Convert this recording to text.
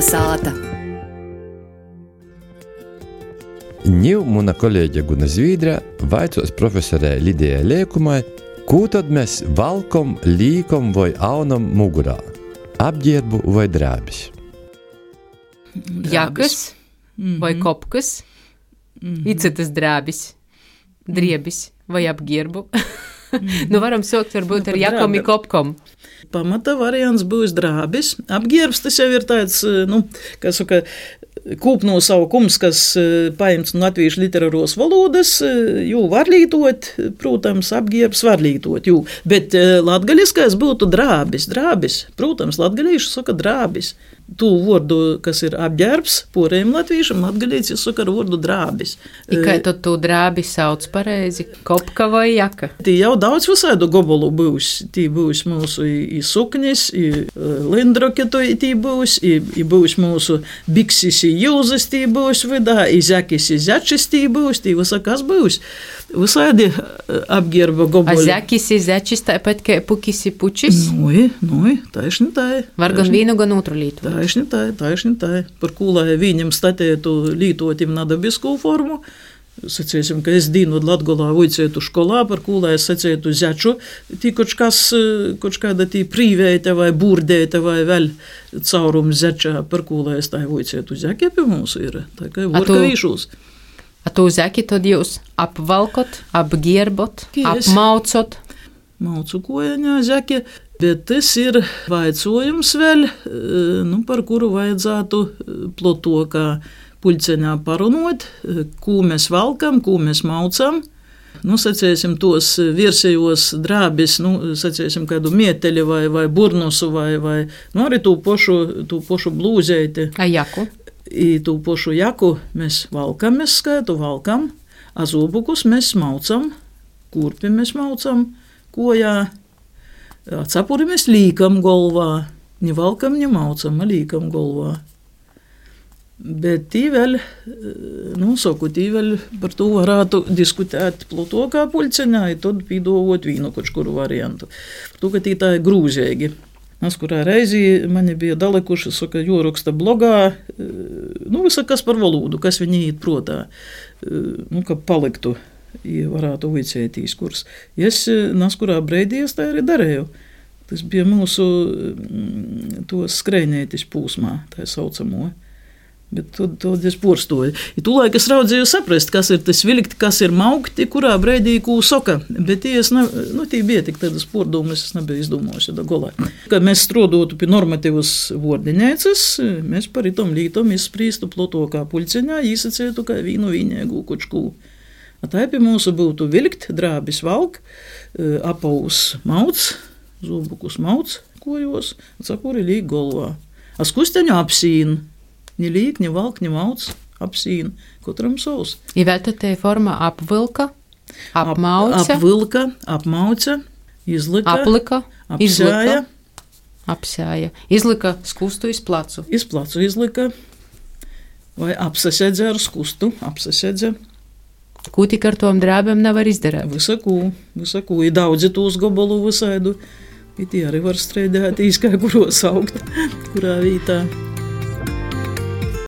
Kalnasāta. Ņiu muna kolēģe Guna Zvīdra vaicos profesorei Lidijai Liekumai, kū tad mēs valkom, līkom vai aunam mugurā? Apģērbu vai drēbis? Jakas vai kopkas, citas drēbis, driebis vai apģērbu. Nu, varam sākt varbūt ar jakom i kopkom. Pamata variants būs drābis. Apģērbs tas jau ir tāds, kā saka, kūpnosaukums, kas paimts no latviešu literāros valodas, jū var lītot, protams, apģērbs var lītot, jū. Bet latgaliskais būtu drābis, protams, latgalīši saka drābis. Tū vordu, kas ir apģērbs, porējiem latviešam, latgalīci saka ar vordu drābis. I kā tad tu drābi sauc pareizi? Kopka vai jaka? Tī jau daudz visādu gobolu būs. Tī būs mūsu i suknis, i lindroki tī būs, i būs mūsu biksis i jūzes tī būs vidā, i zekis i zečis tī būs, tī visa kas būs. Visādi apģērba goboli. A zekis i zečis tāpat kā pukis i pučis? Nui, taišni tai. Var gan vīnu, gan otru lītu. Taišni tai. Par kū, lai viņam statētu lītotim nadabisku formu, sacēsim, ka es dīnu Latgolā vuicētu školā, par kū, lai es sacētu zeču, tī koč kāda tī prīvēta vai būrdēta vai vēl caurums zečā, par kū, lai es tai vuicētu zeki pie mūsu ir, tā kā vorka vīšūs. A tu zeki tad jūs apvalkot, apģērbot, apmaucot? Maucu kojaņā zeki. Bet tas ir vaicojums vēl, par kuru vajadzētu plotokā puļceņā parunot, kū mēs valkam, kū mēs maucam. Sacēsim tos virsējos drābis, sacēsim kādu mieteļi vai burnusu vai arī tū pošu blūzeiti. A jaku? I tū pošu jaku mēs valkam, mēs skaitu valkam, a zobukus mēs maucam, kurpi mēs maucam kojā. Cepuri mēs līkam golvā, ni valkam, ni maucam, līkam golvā. Bet tī vēl, tī vēl par to varētu diskutēt plotokā puļceņā, i tad pīdovot vīnu kočkuru variantu. Par to, ka tī tā ir grūzēgi. Nas, kurā reizi mani bija dalekuši, saka, joroksta blogā, visa kas par valodu, kas viņi īt protā, ka paliktu. I varētu vicētīs kurs. Es naskurā breidī es tā arī darēju. Tas bija mūsu tos skrejnētis pūsmā, tā saucamo. Bet tad es porstoju. I tūlaik es raudzēju saprast, kas ir tas vilkt, kas ir maukti, kurā breidī kū soka. Bet tī bija tik tādas pordomas, es nebiju izdomājuši da golā. Kad mēs strodotu pie normatīvas vordiņēcas, mēs par itom lītom izsprīstu plotokā puļceņā, īsacētu kā vīnu vīniegu kočkū. Tā pie mūsu būtu vilkt, drābis valk, apaus mauc, zobukus mauc kojos, cepuri līk golvā. A skusteņu apsīn, ni līk, ni valk, ni mauc, apsīn, katram savs. I vēl tad te forma apvilka, apmauca? Apvilka, apmauca, izlika, aplika, apsēja. Apsēja. Izlika skustu iz placu. Iz placu izlika, vai apsasedze ar skustu, apsasedze. Kū tik ar tom drābēm nevar izdarēt? Visaku. I daudzi tūs gobolu visaidu. I tie arī var streidēt īskā, kuros augt, kurā vītā.